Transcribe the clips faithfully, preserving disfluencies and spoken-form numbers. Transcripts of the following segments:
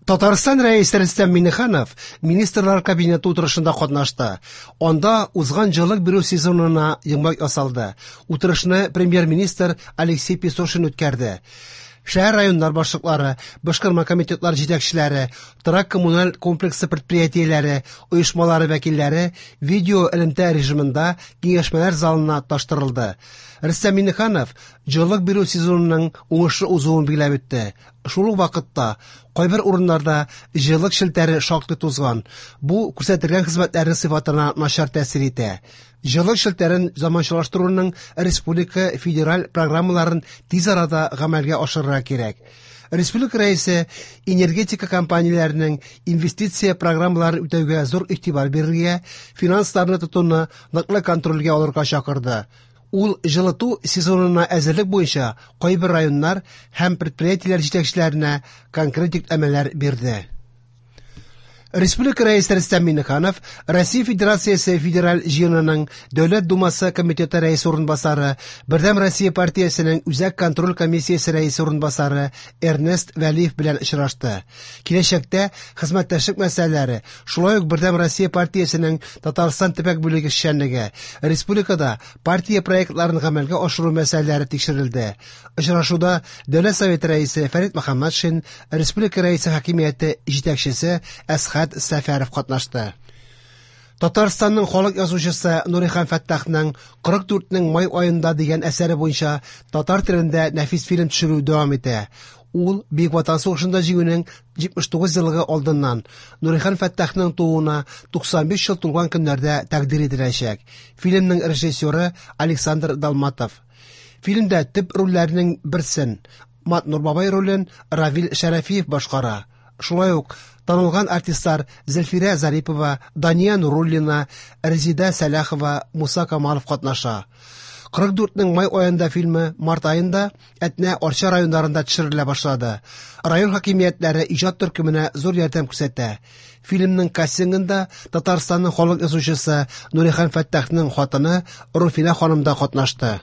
Татарстан Рәисе Рөстәм Миңнеханов Министрлар Кабинеты утырышында катнашты. Анда узган җылылык бирү сезонына йомгак ясалды. Утырышны премьер-министр Алексей Песошин үткәрде. Шәһәр районнар башлыклары, башкарма комитетлар җитәкчеләре, торак коммуналь комплексы предприятиеләре, оешмалары вәкилләре видео элемтә режимында киңәшмәләр залына таштырылды. Рөстәм Миңнеханов җылылык бирү сезонының уңышлы узуын билгеләп үтте. Шул ук вакытта кайбер урыннарда җылылык челтәре шактый тузган. Бу күрсәтелгән хезмәтләрнең сыйфатына начар тәэсир итә. Җылылык челтәрен заманчалаштыруның республика федераль программаларын тиз арада гамәлгә ашырырга кирәк. Республика Рәисе энергетика компанияләренең инвестиция программаларын үтәүгә зур игътибар бирергә, финансларны тотуны ныклы контрольгә алырга чакырды. Ул җылыту сезонына әзерлек буенча кайбер районнар һәм предприятиеләр җитәкчеләренә конкрет йөкләмәләр бирде. Республика Рәисе Рөстәм Миңнеханов Россия Федерациясе Федераль Җыенының Дәүләт Думасы комитеты рәисе урынбасары, Бердәм Россия партиясенең Үзәк контроль комиссиясе рәисе урынбасары Эрнест Вәлиев белән очрашты. Киләчәктә хезмәттәшлек мәсьәләләре, шулай ук Бердәм Россия партиясенең Татарстан төбәк бүлеге эшчәнлеге, республикада партия проектларын гамәлгә ашыру мәсьәләләре тикшерелде. Очрашуда Дәүләт Советы рәисе Фәрит Мөхәммәтшин, Республика Рәисе хакимияте җитәкчесе Әсхәт Сәфәров катнашты. Татарстанның халык язучысы Нурихан Фәттахның кырык дүртнең май аенда дигән әсәре буенча татар телендә нәфис фильм төшерү дәвам итә. Ул Бөек Ватан сугышында җиңүнең җитмеш тугыз еллыгы алдыннан Нурихан Фәттахның тууына туксан биш ел тулган көннәрдә тәкъдир ителәчәк. Фильмның режиссеры Александр Далматов. Фильмдә төп рольләрнең берсен Матнур бабай ролен Равил Шәрәфиев башкара. Шулай ук танылган артистлар Зөлфирә Зарипова, Дания Нуруллина, Резида Сәлахова, Муса Камалов катнаша. Кырык дүртнең май аенда фильмы март аенда Әтнә Арча районнарында төшерелә башлады. Район хакимиятләре иҗат төркеменә зур ярдәм күрсәтә. Фильмның кастингында Татарстанның халык язучысы Нурихан Фәттахның хатыны Руфинә ханым да катнашты.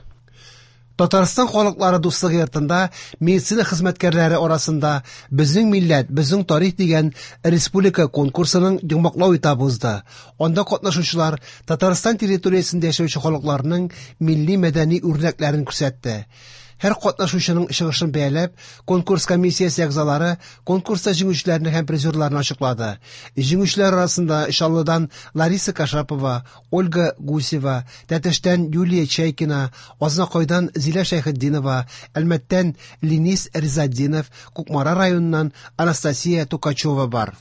Татарстан халыклары дуслыгы йортында медицина хезмәткәрләре арасында Безнең милләт, безнең тарих дигән республика конкурсының йомгаклау этабы узды. Анда катнашучылар Татарстан территориясендә яшәүче халыкларның милли мәдәни үрнәкләрен күрсәтте. Һәр катнашучының чыгышын бәяләп, конкурс комиссиясе әгъзалары конкурста җиңүчеләрне һәм призерларны ачыклады. Җиңүчеләр арасында Чаллыдан Лариса Кашапова, Ольга Гусева, Тәтештән Юлия Чайкина, Азнакайдан Зилә Шәйхетдинова, Әлмәттән Ленис Ризатдинов, Кукмара районыннан Анастасия Тукачева бар.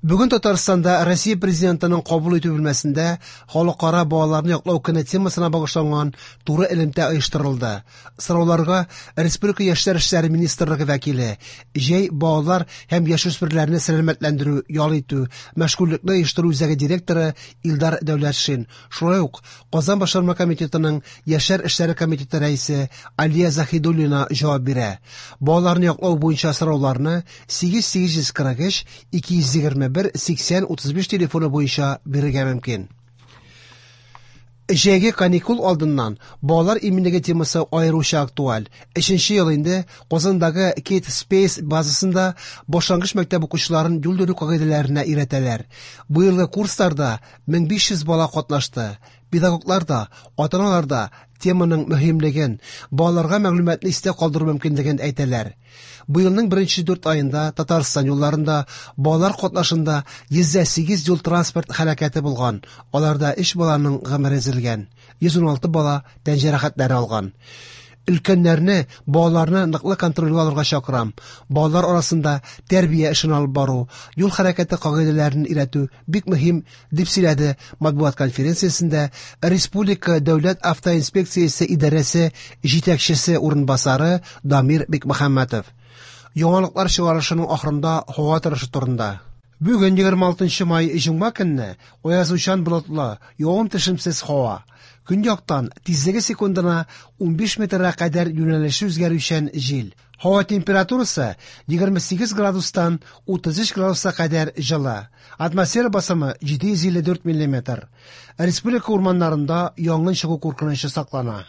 Бүген Татарстанда Россия Президентының кабул итү бүлмәсендә Халыкара балаларны яклау көне темасына багышланган туры элемтә оештырылды. Сорауларга Республика Яшьләр эшләре министрлыгы вәкиле, җәй балалар һәм яшүсмерләрне сәламәтләндерү, ял итү, мәшгульлекне оештыру үзәге директоры Илдар Дәүләтшин, шулай ук Казан башкарма комитетының Яшьләр эшләре комитеты рәисе Алия Заһидуллина җавап бирә. Балаларны яклау буенча сорауларны сигез сигез йөз кырык өч ике йөз егерме бер сиксән утыз биш телефоны буенча бирергә мөмкин. Җәйге каникул алдыннан балалар иминлеге темасы аеруча актуаль. Өченче ел инде Казандагы Kid Space базасында башлангыч мәктәп укучыларын юл йөрү кагыйдәләренә өйрәтәләр. Бу елгы курсларда мең биш йөз бала катнашты. Педагоглар да, ата-аналар да теманың мөһимлеген, балаларга мәгълүматны истә калдыру мөмкинлеген әйтәләр. Бу елның беренче дүрт аенда Татарстан юлларында балалар катнашында йөз дә сигез юл транспорт һәлакәте булган. Аларда өч баланың гомере өзелгән, йөз ун алты бала тән җәрәхәтләре алган. Өлкәннәрне, балаларны ныклы контрольгә алырга чакырам. Балалар арасында тәрбия эшен алып бару, юл хәрәкәте кагыйдәләрен өйрәтү бик мөһим, дип сөйләде матбугат конференциясендә Республика Дәүләт автоинспекциясе идарәсе җитәкчесе урынбасары Дамир Бикмөхәммәтов. Яңалыклар чыгарышының ахырында һава торышы турында. Бүген егерме алтынчы май җомга көнне аязучан болытлы, явым-төшемсез һава. Көньяктан тизлеге секундына унбиш метрга кадәр юнәлеше үзгәрүчән җил. Һава температурасы егерме сигез градустан утыз өч градуска кадәр җылы. Атмосфера басымы җиде йөз илле дүрт миллиметр. Республика урманнарында янгын чыгу куркынычы саклана.